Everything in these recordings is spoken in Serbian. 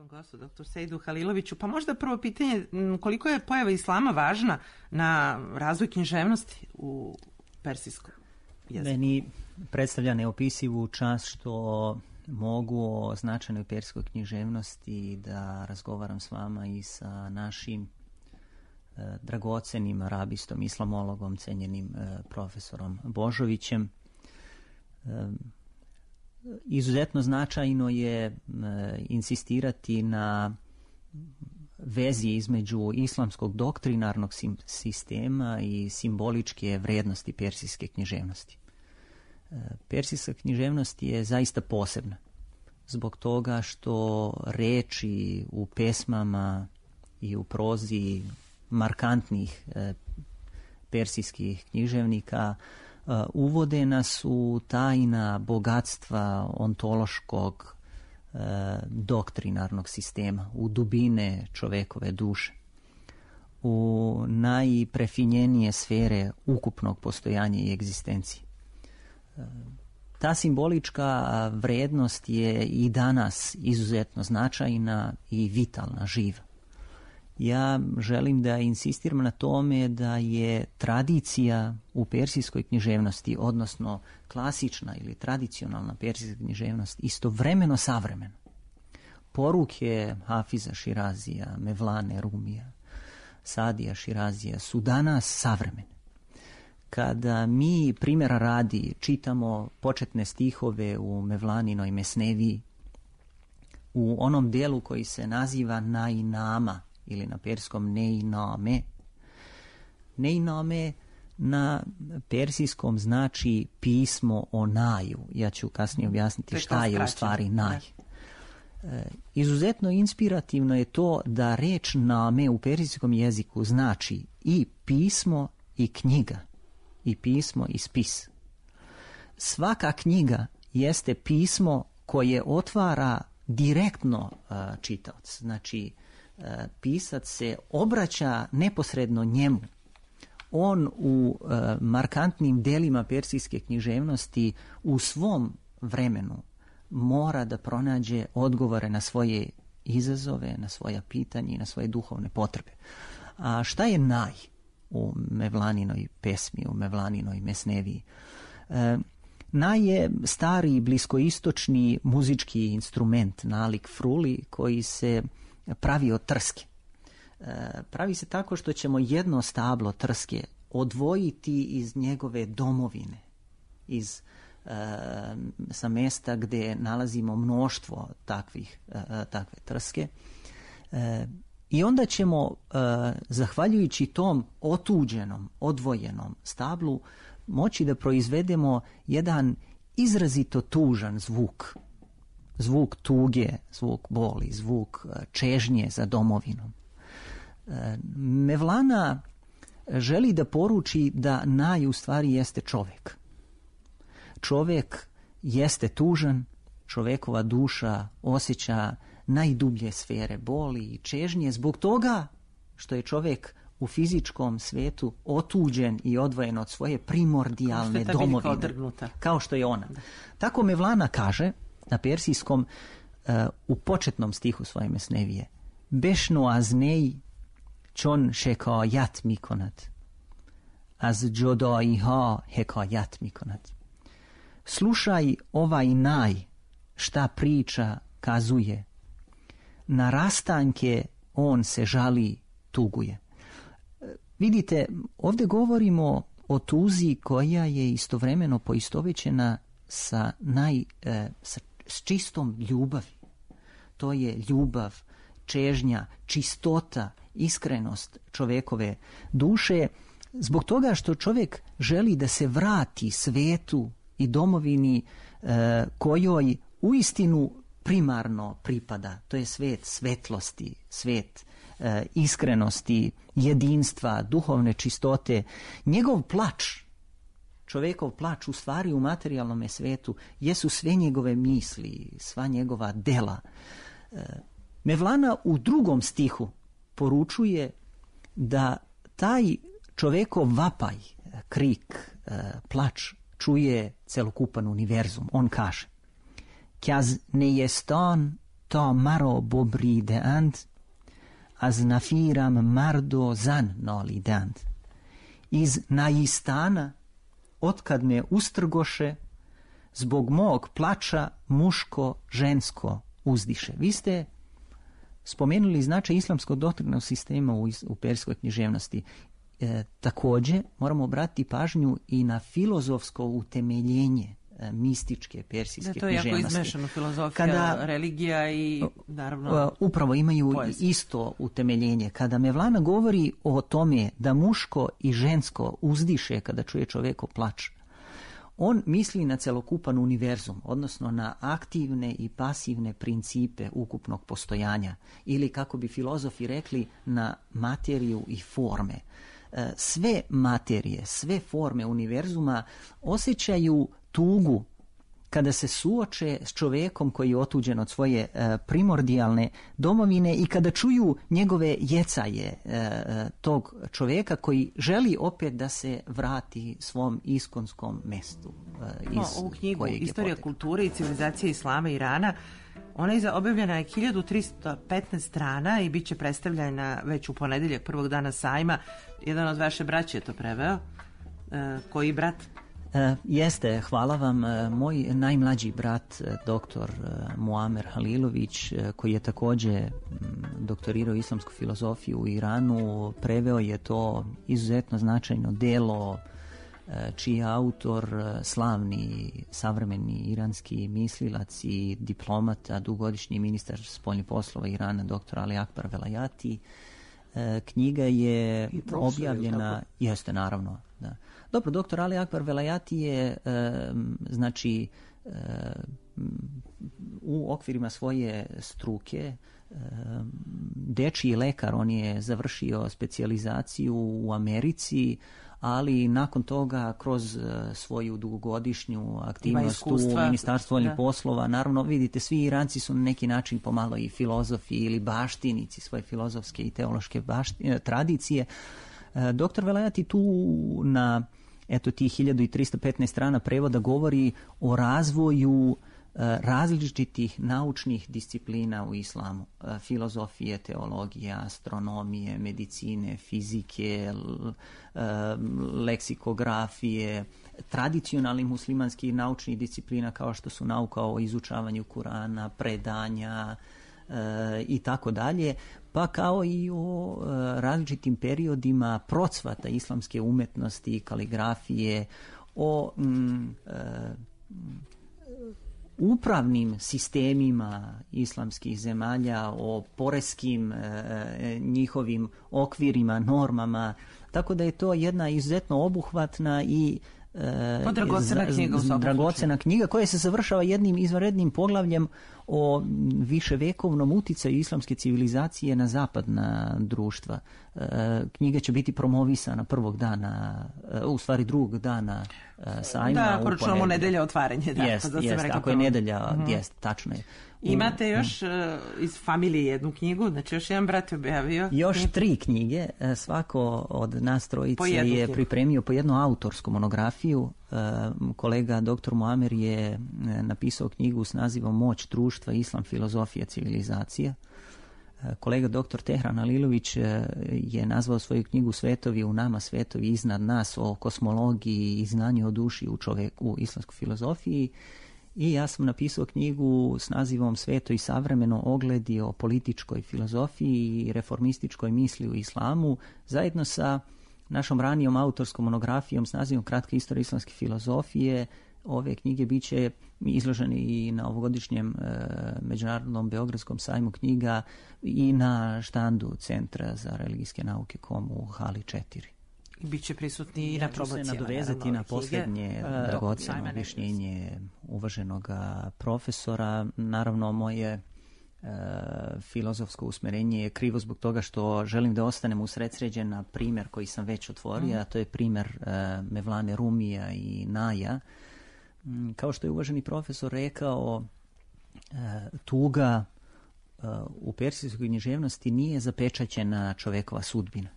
gostu, dr. Sejdu Haliloviću. Pa možda prvo pitanje, koliko je pojava islama važna na razvoj književnosti u persijskom jeziku? Meni predstavlja neopisivu čast što mogu o značajnoj persijskoj književnosti da razgovaram s vama i sa našim dragocenim arabistom, islamologom, cenjenim profesorom Božovićem. Izuzetno značajno je insistirati na vezi između islamskog doktrinarnog sistema i simboličke vrednosti persijske književnosti. Persijska književnost je zaista posebna zbog toga što reči u pesmama i u prozi markantnih persijskih književnika uvode nas u tajna bogatstva ontološkog doktrinarnog sistema, u dubine čovekove duše, u najprefinjenije sfere ukupnog postojanja i egzistencije. Ta simbolička vrednost je i danas izuzetno značajna i vitalna, živa. Ja želim da insistiram na tome da je tradicija u persijskoj književnosti, odnosno klasična ili tradicionalna persijska književnost, istovremeno savremena. Poruke Hafiza Širazija, Mevlane Rumija, Sadija Širazija su danas savremene. Kada mi, primjera radi, čitamo početne stihove u Mevlaninoj Mesneviji, u onom dijelu koji se naziva Nainama, ili na persijskom Neiname. Neiname na persijskom znači pismo o naju. Ja ću kasnije objasniti šta je u stvari naj. Izuzetno inspirativno je to da reč name u persijskom jeziku znači i pismo i knjiga, i pismo i spis. Svaka knjiga jeste pismo koje otvara direktno čitaoc. Znači, pisac se obraća neposredno njemu. On u markantnim delima persijske književnosti u svom vremenu mora da pronađe odgovore na svoje izazove, na svoja pitanja i na svoje duhovne potrebe. A šta je naj u Mevlaninoj pesmi, u Mevlaninoj Mesneviji? Naj je stari bliskoistočni muzički instrument, nalik fruli, koji se pravi od trske. Pravi se tako što ćemo jedno stablo trske odvojiti iz njegove domovine, sa mesta gdje nalazimo mnoštvo takve trske. I onda ćemo, zahvaljujući tom otuđenom, odvojenom stablu, moći da proizvedemo jedan izrazito tužan zvuk. Zvuk tuge, zvuk boli, zvuk čežnje za domovinom. Mevlana želi da poruči da naj u stvari jeste čovjek. Čovjek jeste tužan, čovjekova duša osjeća najdublje sfere boli i čežnje zbog toga što je čovjek u fizičkom svetu otuđen i odvojen od svoje primordijalne domovine. Kao što je ona. Tako Mevlana kaže na persijskom u početnom stihu svoje Mesnevije: Bešnu aznej čon šekajat mikonat, az džodaiha hekajat mikonat. Slušaj ovaj naj šta priča kazuje, na rastanke on se žali, tuguje. Vidite, ovdje govorimo o tuzi koja je istovremeno poistovećena sa s čistom ljubavi. To je ljubav, čežnja, čistota, iskrenost čovjekove duše, zbog toga što čovjek želi da se vrati svetu i domovini kojoj uistinu primarno pripada. To je svet svetlosti, svet iskrenosti, jedinstva, duhovne čistote. Njegov plač, čovjekov plač u stvari u materijalnom svetu jesu sve njegove misli, sva njegova dela. Mevlana u drugom stihu poručuje da taj čovjekov vapaj, krik, plač čuje celokupan univerzum. On kaže: Kjaz nejestan ta maro bobri deant, az nafiram mardo zan noli deant. Iz najistana, otkad me ustrgoše, zbog mog plača muško, žensko uzdiše. Vi ste spomenuli značaj islamskog doktrinnog sistema u persijskoj književnosti. Također moramo obratiti pažnju i na filozofsko utemeljenje mističke persijske književnosti. To je jako izmešano, filozofija, religija i naravno upravo imaju poezija. Isto utemeljenje. Kada Mevlana govori o tome da muško i žensko uzdiše kada čuje čovjeko plač, on misli na celokupan univerzum, odnosno na aktivne i pasivne principe ukupnog postojanja, ili kako bi filozofi rekli, na materiju i forme. Sve materije, sve forme univerzuma osjećaju tugu kada se suoče s čovjekom koji je otuđen od svoje primordijalne domovine i kada čuju njegove jecaje tog čovjeka koji želi opet da se vrati svom iskonskom mestu. Ovu knjigu Istorija kulture i civilizacije Islama i Irana, ona je objavljena je 1315 strana i bit će predstavljena već u ponedjeljak prvog dana sajma. Jedan od vaše braće je to preveo. Koji brat? Jeste, hvala vam. Moj najmlađi brat, doktor Muamer Halilović, koji je također doktorirao islamsku filozofiju u Iranu, preveo je to izuzetno značajno delo čiji je autor slavni savremeni iranski mislilac i diplomata, dugogodišnji ministar spoljnih poslova Irana, dr. Ali Akbar Velayati. Knjiga je objavljena, jeste naravno, da. Dobro, dr. Ali Akbar Velayati je u okvirima svoje struke dečiji lekar. On je završio specijalizaciju u Americi, ali nakon toga kroz svoju dugogodišnju aktivnost u Ministarstvu spoljnih poslova, naravno vidite, svi Iranci su na neki način pomalo i filozofi ili baštinici svoje filozofske i teološke tradicije. Dr. Velayati tu na tih 1315 strana prevoda govori o razvoju različitih naučnih disciplina u islamu. Filozofije, teologije, astronomije, medicine, fizike, leksikografije, tradicionalnih muslimanskih naučnih disciplina kao što su nauka o izučavanju Kurana, predanja i tako dalje, pa kao i o različitim periodima procvata islamske umetnosti, kaligrafije, o upravnim sistemima islamskih zemalja, o poreskim njihovim okvirima, normama, tako da je to jedna izuzetno obuhvatna i dragocena knjiga koja se završava jednim izvanrednim poglavljem o viševekovnom uticaju islamske civilizacije na zapadna društva. Knjiga će biti promovisana prvog dana, u stvari drugog dana sajma. Da, ako računamo nedelja otvaranje. Jest, ako je nedelja, jest, tačno je. Imate još iz familije jednu knjigu, znači još jedan brat je objavio. Još 3 knjige, svako od nas trojice je pripremio po jednu autorsku monografiju. Kolega dr. Muamer je napisao knjigu s nazivom Moć društva, islam, filozofija, civilizacija. Kolega dr. Tehran Halilović je nazvao svoju knjigu Svetovi u nama, svetovi iznad nas, o kosmologiji i znanju o duši u čovjeku, u islamskoj filozofiji. I ja sam napisao knjigu s nazivom Sveto i savremeno, ogledi o političkoj filozofiji i reformističkoj misli u islamu, zajedno sa našom ranijom autorskom monografijom s nazivom Kratka istorija islamske filozofije. Ove knjige bit će izložene i na ovogodišnjem Međunarodnom Beogradskom sajmu knjiga i na štandu Centra za religijske nauke KOM u hali 4. Biće prisutni i na promocijama. Ja ću se nadovezati na posljednje dragoceno objašnjenje uvaženog profesora. Naravno, moje filozofsko usmerenje je krivo zbog toga što želim da ostanem usredsređen na primjer koji sam već otvorio, a to je primjer Mevlane Rumija i Naja. Kao što je uvaženi profesor rekao, tuga u persijskoj književnosti nije zapečaćena čovjekova sudbina.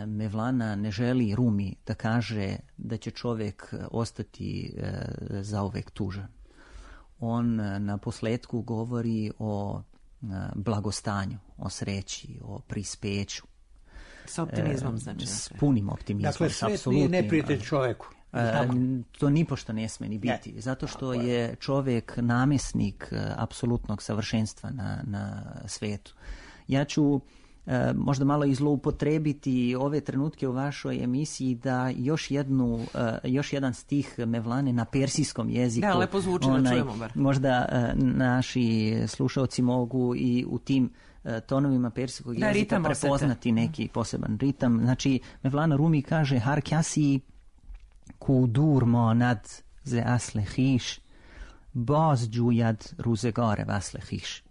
Mevlana ne želi Rumi da kaže da će čovjek ostati zauvek tužan. on na posletku govori o blagostanju, o sreći, o prispeću. S optimizmom, znači. S punim optimizmom. Dakle, svet nije neprijatelj čoveku. To nipošto ne sme ni biti, zato što je čovjek namjesnik apsolutnog savršenstva na svetu. Ja ću možda malo i zloupotrebiti ove trenutke u vašoj emisiji da još jedan stih Mevlane na persijskom jeziku. Da, lepo zvuči, da čujemo bar. Možda naši slušalci mogu i u tim tonovima persijskog jezika prepoznati neki poseban ritam. Znači, Mevlana Rumi kaže har kjasi ku dur monad ze asle hiš baz džujad ruzegare vasle hiš.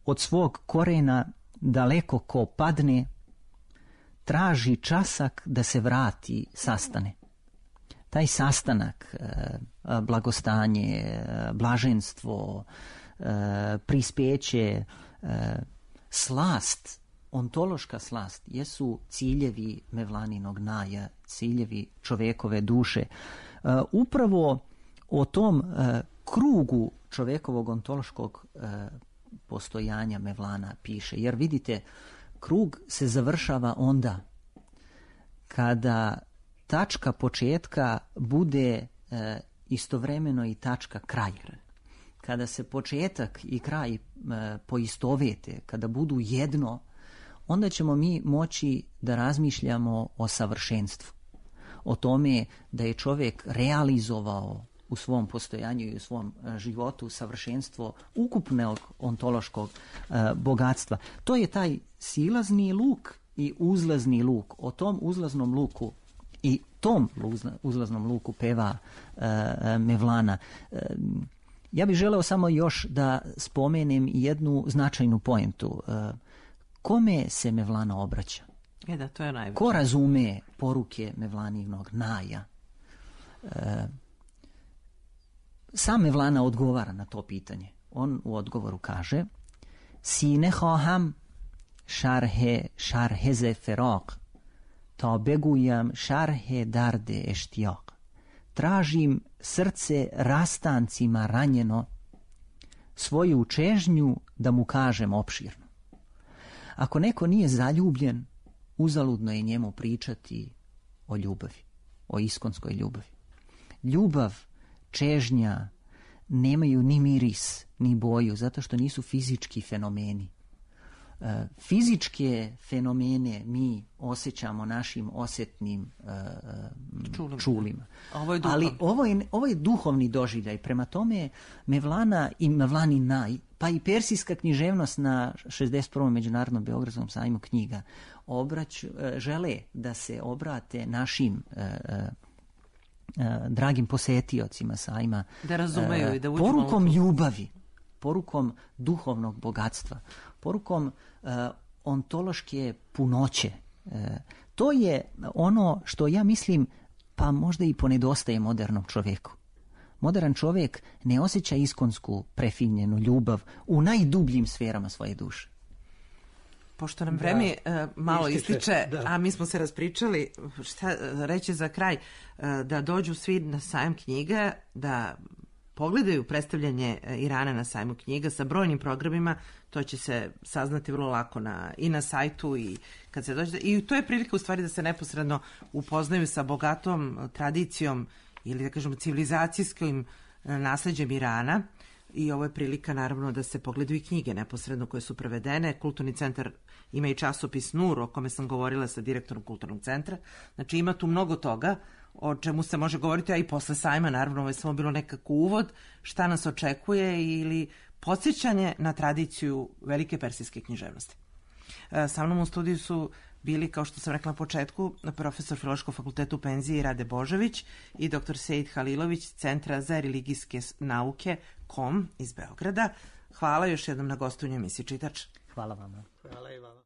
Od svog korena daleko ko padne, traži časak da se vrati, sastane. Taj sastanak, blagostanje, blaženstvo, prispeće, slast, ontološka slast, jesu ciljevi Mevlaninog naja, ciljevi čovekove duše. Upravo o tom krugu čovekovog ontološkog postojanja Mevlana piše. Jer vidite, krug se završava onda kada tačka početka bude istovremeno i tačka kraja. Kada se početak i kraj poistovete, kada budu jedno, onda ćemo mi moći da razmišljamo o savršenstvu. O tome da je čovjek realizovao u svom postojanju i u svom životu savršenstvo ukupnog ontološkog bogatstva. To je taj silazni luk i uzlazni luk. O tom uzlaznom luku i tom uzlaznom luku peva Mevlana. Ja bih želeo samo još da spomenem jednu značajnu poentu. Kome se Mevlana obraća? Da, to je najveće. Ko razume poruke Mevlaninog naja? Sam Mevlana odgovara na to pitanje. On u odgovoru kaže: Sine khaham šarheze feraq ta begujam šarhe darde eštijak. Tražim srce rastancima ranjeno, svoju čežnju da mu kažem opširno. Ako neko nije zaljubljen, uzaludno je njemu pričati o ljubavi, o iskonskoj ljubavi. Ljubav, čežnja nemaju ni miris, ni boju, zato što nisu fizički fenomeni. Fizičke fenomene mi osjećamo našim osjetnim čulima. Ali ovo je duhovni doživljaj. Prema tome Mevlana i Mevlanin naj, pa i persijska književnost na 61. Međunarodnom Beogradskom sajmu knjiga žele da se obrate našim dragim posetiocima sajma, da razumeju i da porukom ljubavi, porukom duhovnog bogatstva, porukom ontološke punoće. To je ono što ja mislim pa možda i ponedostaje modernom čovjeku. Modern čovjek ne osjeća iskonsku prefinjenu ljubav u najdubljim sferama svoje duše. Pošto nam vreme malo ističe, a mi smo se raspričali, šta reći za kraj, da dođu svi na sajam knjiga, da pogledaju predstavljanje Irana na sajmu knjiga sa brojnim programima, to će se saznati vrlo lako i na sajtu i kad se dođe. I to je prilika u stvari da se neposredno upoznaju sa bogatom tradicijom ili da kažemo civilizacijskim nasleđem Irana. I ovo je prilika naravno da se pogledaju i knjige neposredno koje su prevedene. Kulturni centar ima i časopis Nur o kome sam govorila sa direktorom Kulturnog centra. Znači ima tu mnogo toga o čemu se može govoriti, a i posle sajma naravno ovo je samo bilo nekako uvod šta nas očekuje ili podsjećanje na tradiciju velike persijske književnosti. Sa mnom u studiju su bili, kao što sam rekla na početku, profesor Filološkog fakulteta u penziji Rade Božović i dr. Sejid Halilović, Centra za religijske nauke KOM iz Beograda. Hvala još jednom na gostovanju emisiji Čitač. Hvala vama. Hvala i vama.